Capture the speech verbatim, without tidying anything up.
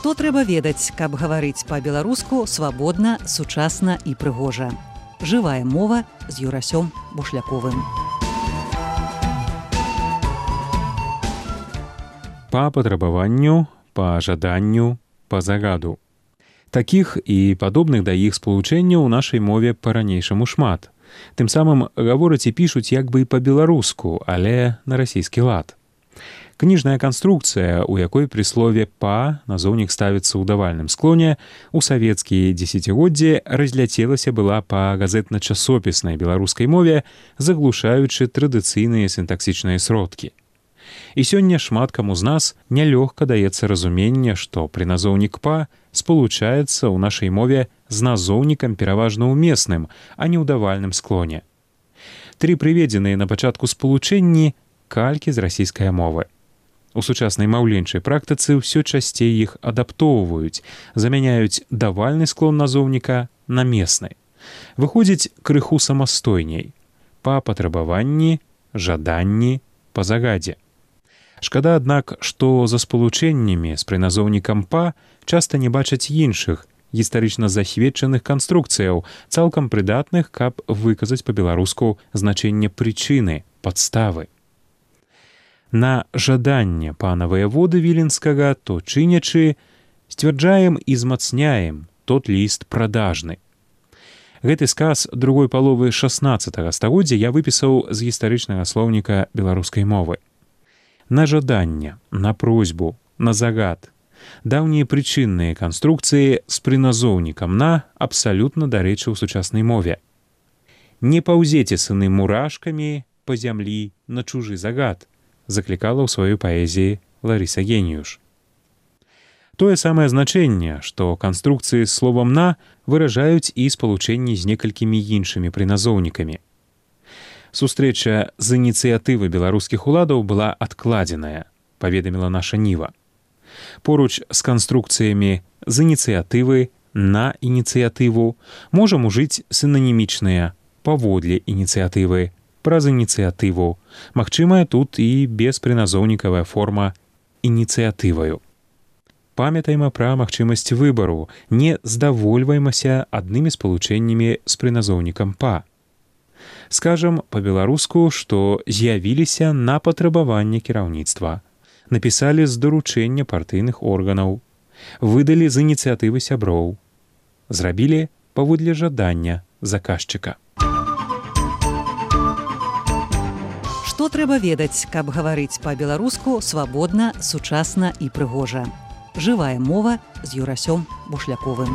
Што трэба ведаць, каб гаварыць па-беларуску свабодна, сучасна і прыгожа. Жывая мова з Юрасём Бушляковым. Па патрабаванню, па жаданню, па загаду. Такіх і падобных да іх спалучэнняў у нашай мове па-ранейшаму шмат. Тым самым гавораць і пішуць як бы і па-беларуску, але на расійскі лад. Кніжная канструкцыя, у якой пры слове «па» назоўнік ставіцца ў давальным склоне, у савецкія дзесяцігоддзі разляцелася была па газетна-часопіснай беларускай мове, заглушаючы традыцыйныя сінтаксічныя сродкі. І сёння шмат каму з нас нялёгка даецца разуменне, што прыназоўнік «па» спалучаецца ў нашай мове з назоўнікам пераважна ўмесным, а не ў давальным склоне. Тры прыведзеныя на пачатку спалучэнні калькі з расійскай мовы. У сучаснай маўленчай практыцы ўсё часцей іх адаптоўваюць, замяняюць давальны склон назоўніка на месны. Выходзіць крыху самастойней. Па патрабаванні, жаданні, па загадзе. Шкада, аднак, што за спалучэннямі з прыназоўнікам «па» часта не бачаць іншых, гістарычна засведчаных канструкцыяў, цалкам прыдатных, каб выказаць па-беларуску значэнне прычыны, падставы. На жаданне пана ваяводы Віленскага, то чынячы, сцвярджаем і змацняем тот ліст прадажны. Гэты сказ другой паловы шаснаццатага стагоддзя я выпісаў з гістарычнага слоўніка беларускай мовы. На жаданне, на просьбу, на загад. Даўнія прычынныя канструкцыі з прыназоўнікам «на» абсалютна дарэчы ў сучаснай мове. Не паўзеце, сыны, мурашкамі па зямлі на чужы загад, заклікала ў сваёй паэзіі Ларыса Геніюш. Тое самае значэнне, што канструкцыі з словам «на» выражаюць і спалучэнні з некалькімі іншымі прыназоўнікамі. Сустрэча з ініцыятывы беларускіх уладаў была адкладзеная, паведаміла наша Ніва. Поруч з канструкцыямі з ініцыятывы на ініцыятыву можам ужыць сінанімічныя паводле ініцыятывы, праз ініцыятыву. Магчымая тут і беспрыназоўнікавая форма ініцыятываю. Памятайма пра магчымасць выбару, не здавольваймася аднымі спалучэннямі з прыназоўнікам «па». Скажам па-беларуску, што з'явіліся на патрабаванне кіраўніцтва, напісалі з даручэння партыйных органаў, выдалі з ініцыятывы сяброў, зрабілі паводле жадання заказчыка. Што трэба ведаць, каб гаварыць па-беларуску свабодна, сучасна і прыгожа. Жывая мова з Юрасём Бушляковым.